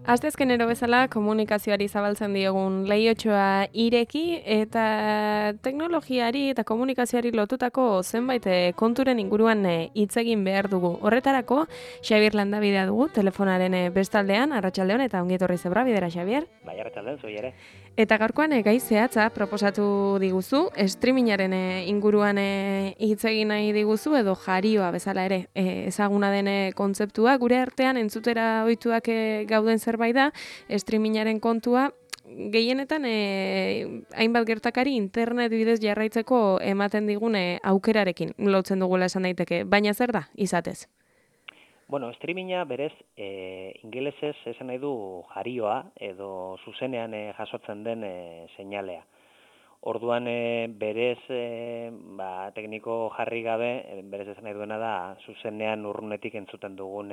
Asteazkenero bezala komunikazioari zabaltzen diogun leihotxoa ireki eta teknologiari eta komunikazioari lotutako zenbait konturen inguruan hitz egin behar dugu. Horretarako, Xabier Landabidea dugu, telefonaren bestaldean, arratsaldeon eta ongi etorri zebra, bidera, Xabier. Bai, arratsaldeon, zui ere. Eta gaurkoan gai zehatza proposatu diguzu, streamingaren inguruan hitz egin nahi diguzu edo jarioa bezala ere ezaguna den kontzeptua, gure artean entzutera ohituak gauden zerbait da, streamingaren kontua, gehienetan hainbat gertakari internet bidez jarraitzeko ematen digun aukerarekin lotzen dugula esan daiteke, baina zer da, izatez? Bueno, streaminga berez ingelesez esan nahi du jarioa edo zuzenean jasotzen den seinalea. Orduan berez tekniko jarri gabe, berez esan nahi duena da zuzenean urrunetik entzuten dugun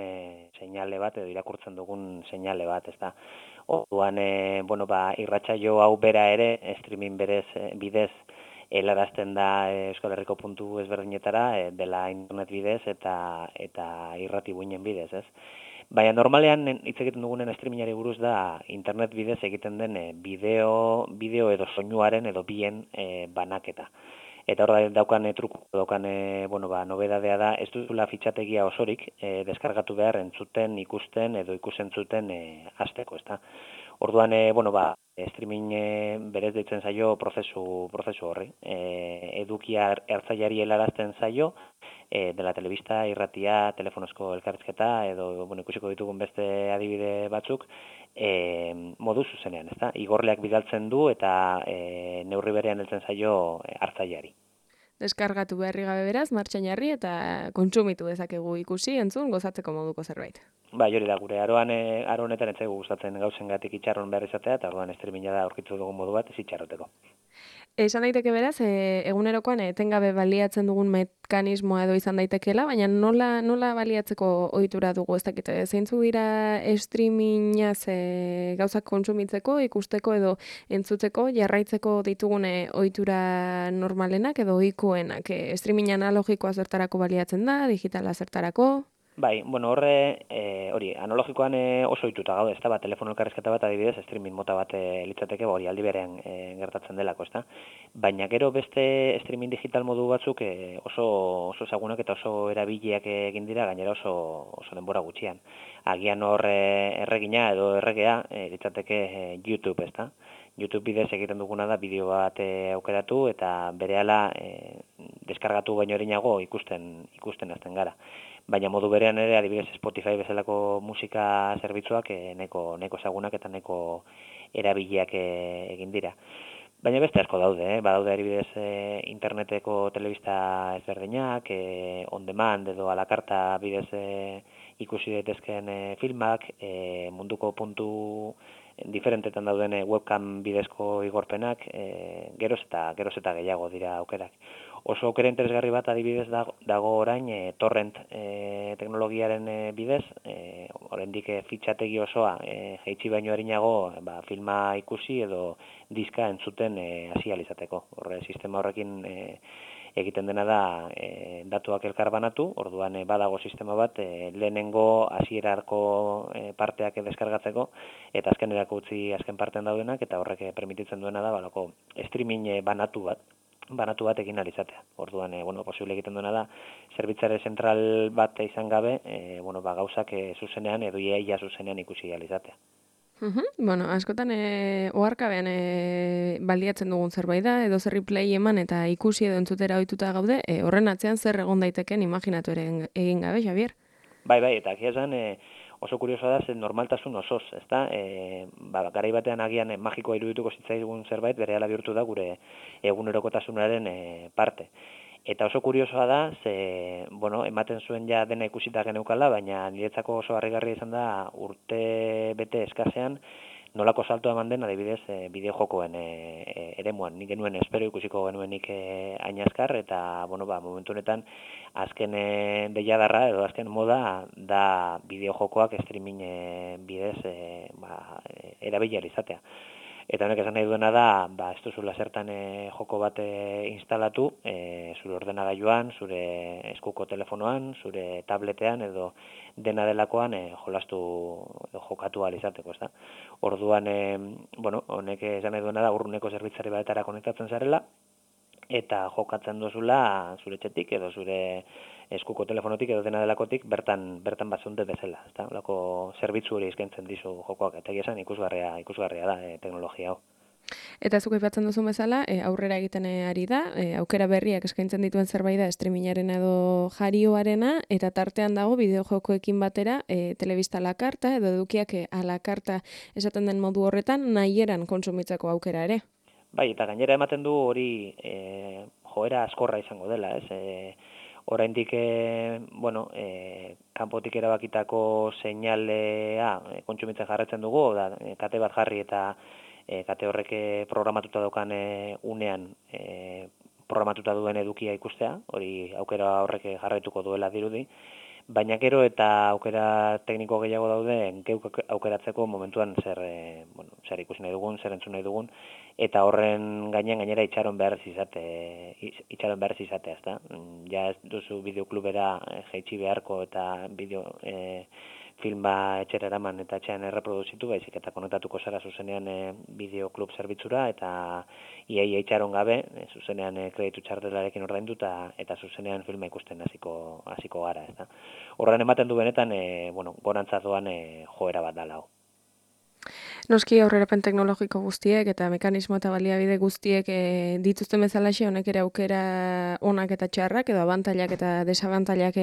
seinale bat edo irakurtzen dugun seinale bat, ezta. Orduan irratsaio hau bera ere streaming berez bidez helarazten da Euskal Herriko puntu ezberdinetara dela internet bidez eta irrati buinen bidez, ez? Baina normalean hitz egiten dugunen streamingari buruz da internet bidez egiten den bideo edo soinuaren edo bien banaketa. Eta hor daukan nobedadea da, ez duzula fitxategia osorik deskargatu behar entzuten, ikusten edo ikusentzuten hasteko, ezta? Orduan, streaming berez deitzen zaio prozesu horri. Edukia ertzaiari helarazten zaio, dela telebista, irratia, telefonozko elkarrizketa, edo ikusiko ditugun beste adibide batzuk, modu zuzenean, ezta? Igorleak bidaltzen du eta neurri berean heltzen zaio hartzaileari. Deskargatu beharri gabe beraz, martxan jarri eta kontsumitu dezakegu ikusi, entzun, gozatzeko moduko zerbait. Bai, hori da, gure aro honetan ez zaigu gustatzen gauzengatik itxarron behar izatea, eta orduan streaminga da aurkitu dugun modu bat ez itxarroteko. Esan daiteke beraz, egunerokoan etengabe baliatzen dugun mekanismoa edo izan daitekeela, baina nola baliatzeko ohitura dugu, ez dakite, zeintzuk dira streamingaz gauzak kontsumitzeko, ikusteko edo entzuteko, jarraitzeko ditugune ohitura normalenak edo ohikoenak, streaming analogikoa zertarako baliatzen da, digitala zertarako? Bai, hori, analogikoan oso ohituta gaude, ezta, telefono elkarrizketa bat adibidez, streaming mota bat litzateke, hori aldi berean gertatzen delako, ezta. Baina gero beste streaming digital modu batzuk oso ezagunak eta oso erabiliak egin dira, gainera oso denbora gutxian. Agian hor erregina edo erregea litzateke YouTube, ezta. YouTube bidez egiten duguna da bideo bat aukeratu eta berehala deskargatu baino erinago ikusten hasten gara. Baina modu berean ere, adibidez Spotify bezalako musika zerbitzuak neko ezagunak eta neko erabiliak egin dira. Baina beste asko daude, badaude adibidez interneteko telebista ezberdinak, on demand edo a la carta bidez ikusi daitezkeen filmak, munduko puntu diferentetan dauden webcam bidezko igorpenak, geroz eta gehiago dira aukerak. Oso aukera interesgarri bat adibidez dago orain torrent teknologiaren bidez, oraindik fitxategi osoa jaitsi baino arinago filma ikusi edo diska entzuten hasi ahal izateko. Sistema horrekin egiten dena da datuak elkarbanatu, orduan badago sistema bat lehenengo hasierarko parteak deskargatzeko eta azkenerako utzi azken partean daudenak eta horrek permititzen duena da streaming banatu bat egin ahal izatea. Orduan posible egiten duena da zerbitzare zentral bat izan gabe, gauzak zuzenean edo ia zuzenean ikusi ahal izatea. Askotan oharkabean baliatzen dugun zerbait da, edo zerri play eman eta ikusi edo entzutera ohituta gaude, horren atzean zer egon daiteken imaginatu ere egin gabe, Xabier? Bai, eta agia esan oso kuriosoa da, normaltasun osoz, ezta? Garai batean agian magikoa irudituko zitzaigun zerbait, berehala bihurtu da gure egunerokotasunaren parte. Eta oso kuriosoa da, ematen zuen ja dena ikusita geneukala, baina niretzako oso harrigarria izan da urte bete eskasean, nolako salto eman den, adibidez, bideo-jokoen eremuan. Nik genuen espero ikusiko genuenik hain azkar, eta, bueno, momentu honetan, azken deiadarra, edo azken moda, da bideo-jokoak streaming bidez erabilia izatea. Eta honek esan nahi duena da, ez duzula zertan joko bat instalatu, zure ordenagailuan, zure eskuko telefonoan, zure tabletean, edo dena delakoan jolastu edo jokatu ahal izateko, ezta? Orduan, honek esan nahi duena da, urruneko zerbitzari batetara konektatzen zarela, eta jokatzen duzula zure etxetik edo zure eskuko telefonotik edo dena delakotik bertan bazunde bezala, ezta? Holako zerbitzu hori eskaintzen dizu jokoak, eta egia esan ikusgarria da teknologia hau. Eta zuk aipatzen duzu bezala, aurrera egiten ari da, aukera berriak eskaintzen dituen zerbait da streamingaren edo jarioarena, eta tartean dago bideojokoekin batera telebista a la carta edo edukiak a la carta esaten den modu horretan nahieran kontsumitzeko aukera ere. Bai, eta gainera ematen du hori joera askorra izango dela, ez? Oraindik kanpotik erabakitako seinalea kontsumitzen jarraitzen dugu, kate bat jarri eta kate horrek programatuta daukan unean programatuta duen edukia ikustea, hori aukera horrek jarraituko duela dirudi, baina gero eta aukera tekniko gehiago daude geuk aukeratzeko momentuan zer ikusi nahi dugun, zer entzun nahi dugun, eta horren gainera itxaron behar izatea, ezta? Ja ez duzu bideoklubera jaitsi beharko eta filma etxera eraman eta etxean erreproduzitu, baizik eta konektatuko zara zuzenean bideoklub zerbitzura eta iaia itxaron gabe, zuzenean kreditu txartelarekin ordaindu eta zuzenean filma ikusten hasiko gara, ezta? Horren ematen du benetan, gorantza doan joera bat dala hau. Noski aurrerapen teknologiko guztiek eta mekanismo eta baliabide guztiek dituzten bezalaxe honek ere aukera onak eta txarrak edo abantailak eta desabantailak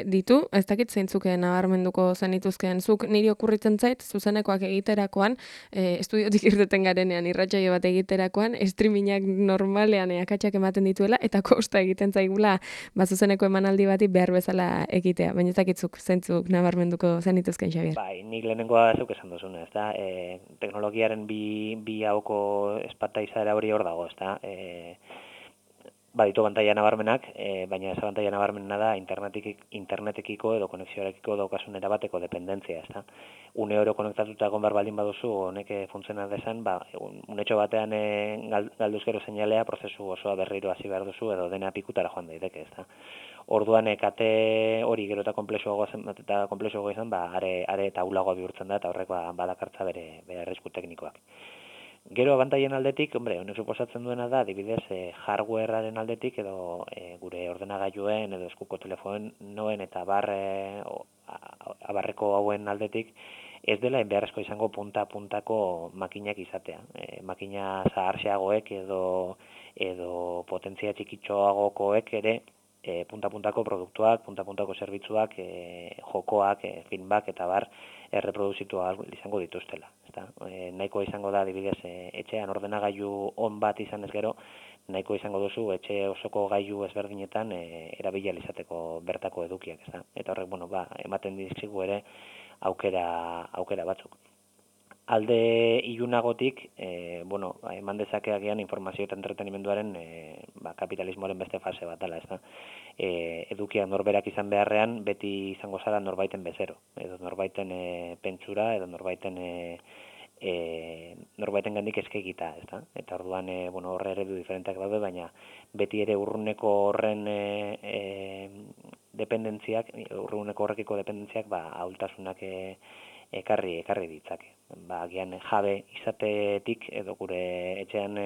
ditu. Ez dakit zeintzuk nabarmenduko zenituzkeen zuk niri okurritzen zait zuzenekoak egiterakoan, estudiotik irteten garenean irratsaio bat egiterakoan streamingak normalean akatsak ematen dituela eta kosta egiten zaigula zuzeneko emanaldi bati behar bezala egitea. Baina ez dakitzuk zeintzuk nabarmenduko zenituzkeen, Xabier. Bai, nik lehenengoa zeuk esan duzuna, ezta? Teknologiaren bi hauko espata izaera hori hor dago, ezta? Baditu abantaila nabarmenak, baina ez abantaila nabarmena da internetekiko edo konexioarekiko daukasun erabateko dependentzia, ezta? Une oro konektatuta egon behar baldin baduzu, honek funtziona dezan, unetxo batean galduz gero seinalea prozesu osoa berriro hasi behar duzu edo dena pikutara joan daiteke, ezta? Orduan kate hori gero eta konplexuago izan, are eta ulagoa bihurtzen da, eta horrek badakartza bere arrisku teknikoak. Gero abantailen aldetik, honek suposatzen duena da, adibidez, hardwarearen aldetik, edo gure ordenagailuen, edo eskuko telefonoen eta abarreko hauen aldetik, ez dela beharrezko izango punta-puntako makinak izatea. Makina zaharxeagoek edo potentzia txikitxoagokoek ere, punta-puntako produktuak, punta-puntako zerbitzuak, jokoak, filmak eta erreproduzitu izango dituztela. Nahikoa izango da, adibidez, etxean ordenagailu on bat izan ez gero, nahiko izango duzu etxe osoko gailu ezberdinetan erabilia izateko bertako edukiak, ezta? Eta horrek, ematen dizkigu ere aukera batzuk. Alde ilunagotik, eman dezake agian informazio eta entretenimenduaren kapitalismoaren beste fase bat dela, ezta? Edukia norberak izan beharrean beti izango zara norbaiten bezero, edo norbaiten pentsura, edo norbaiten gandik eskegita, ezta? Eta orduan, horre eredu diferenteak daude, baina beti ere urruneko horren dependentziak, urruneko horrekiko dependentziak, ahultasunak ekarri ditzake. Agian jabe izatetik edo gure etxean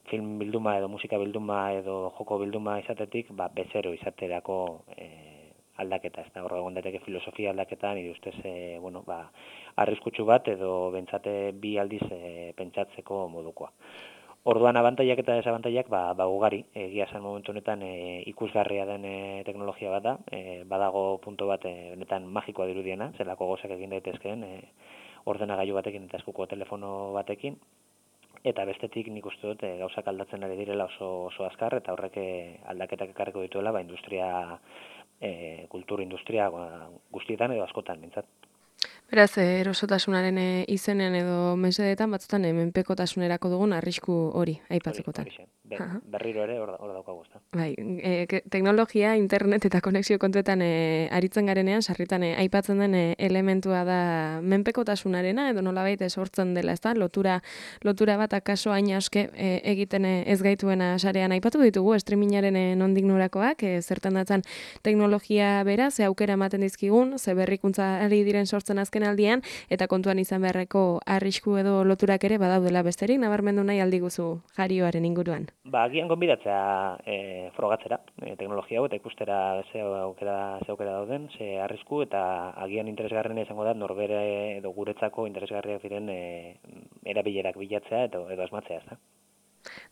film bilduma edo musika bilduma edo joko bilduma izatetik bezero izaterako aldaketa, ez da, horre egon daiteke filosofia aldaketa, nire ustez, arriskutsu bat edo bentsate bi aldiz pentsatzeko modukoa. Orduan abantailak eta desabantailak ugari, egia esan momentu honetan ikusgarria den teknologia bat da, badago punto bat honetan magikoa dirudiena, zelako gozak egin daitezkeen ordenagailu batekin eta eskuko telefono batekin, eta bestetik nik uste dut gauzak aldatzen ari direla oso azkar, eta horrek aldaketak ekarriko dituela kultur industria guztietan edo askotan, bintzat. Beraz, erosotasunaren izenean edo mesedetan batzutan menpekotasunerako dugun arrisku hori aipatzekotan. Berriro ere hor daukagu, ezta. Bai, teknologia, internet eta konexio kontuetan aritzen garenean, sarritan aipatzen den elementua da menpekotasunarena edo nolabait sortzen dela, ezta? Lotura bat akaso hain aske egiten ez gaituena sarean aipatu ditugu streamingaren nondik norakoak, zertan datzan teknologia bera, ze aukera ematen dizkigun, ze berrikuntza ari diren sortzen azken aldian, eta kontuan izan beharreko arrisku edo loturak ere badaudela besterik, nabarmendu nahi aldiguzu jarioaren inguruan. Agian gonbidatzea frogatzera, teknologia hau, eta ikustera ze aukera dauden, ze arrisku, eta agian interesgarrena izango da norbere edo guretzako interesgarriak diren erabilerak bilatzea edo asmatzea, ezta?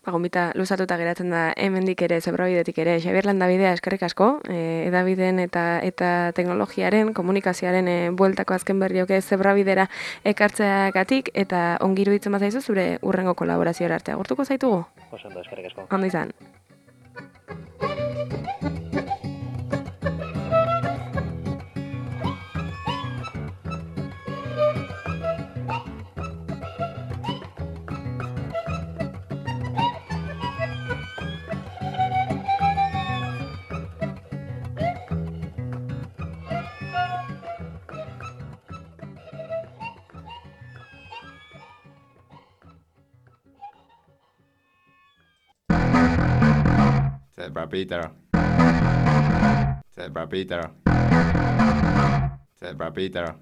Gonbita luzatuta geratzen da hemendik ere, Zebrabidetik ere. Xabier Landabidea eskerrik asko, edabideen eta teknologiaren, komunikazioaren bueltako azken berrioke Zebrabidera ekartzeagatik, eta ongi iruditzen bazaizu zure hurrengo kolaborazioa arte. Agurtuko zaitugu? Oso ondo, eskerrik asko. Ondo izan. Zebra Peter.